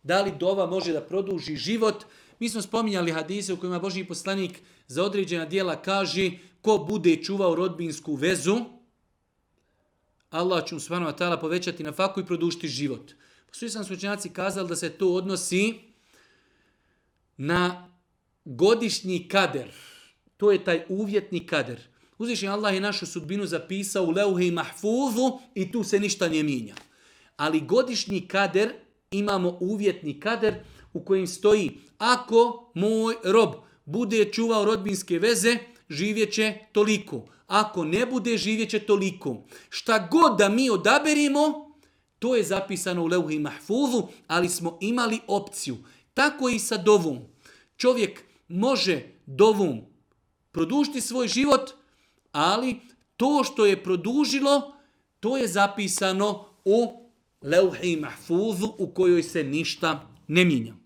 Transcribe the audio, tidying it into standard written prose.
Da li dova može da produži život? Mi smo spominjali hadise u kojima Božji poslanik za određena djela kaže ko bude čuvao rodbinsku vezu, Allah će mu subhanahu wa ta'ala povećati na faku i produžiti život. Svi sam slučenjaci kazali da se to odnosi na godišnji kader. To je taj uvjetni kader. Uzvišeni Allah je našu sudbinu zapisao u leuhi mahfuzu i tu se ništa ne mijenja. Ali godišnji kader, imamo uvjetni kader u kojem stoji ako moj rob bude čuvao rodbinske veze, živjet će toliko. Ako ne bude, živjet će toliko. Šta god da mi odaberimo, to je zapisano u leuhi mahfuzu, ali smo imali opciju. Tako i sa dovom. Čovjek može dovom produžiti svoj život, ali to što je produžilo, to je zapisano u leuhi mahfuzu u kojoj se ništa ne mijenja.